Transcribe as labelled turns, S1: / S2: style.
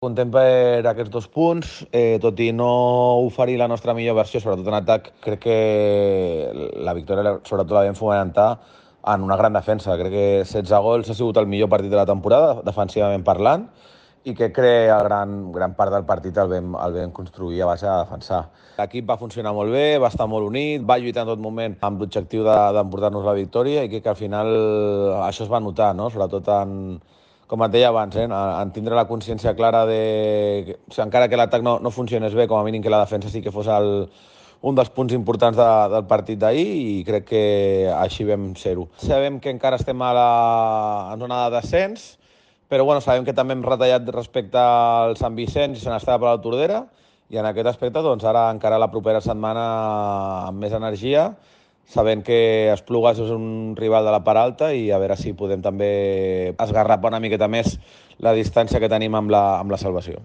S1: Content per aquests 2 punts, tot i no oferir la nostra millor versió, sobretot en atac, crec que la victòria sobretot la vam fomentar en una gran defensa. Crec que 16 gols ha sigut el millor partit de la temporada, defensivament parlant, i que gran part del partit el vam construir a base de defensar. L'equip va funcionar molt bé, va estar molt unit, va lluitar en tot moment amb l'objectiu d'emportar-nos la victòria i crec que al final això es va notar, no? Sobretot com et deia abans, en tindre la consciència clara de... O sigui, encara que l'atac no funcionés bé, com a mínim que la defensa sí que fos un dels punts importants del partit d'ahir i crec que així vam ser-ho. Sabem que encara estem en zona de descens, però bueno, sabem que també hem retallat respecte al Sant Vicenç i se n'estava per la Tordera i en aquest aspecte doncs, ara encara la propera setmana amb més energia, sabent que Esplugues és un rival de la part alta i a veure si podem també esgarrapar una miqueta més la distància que tenim amb la salvació.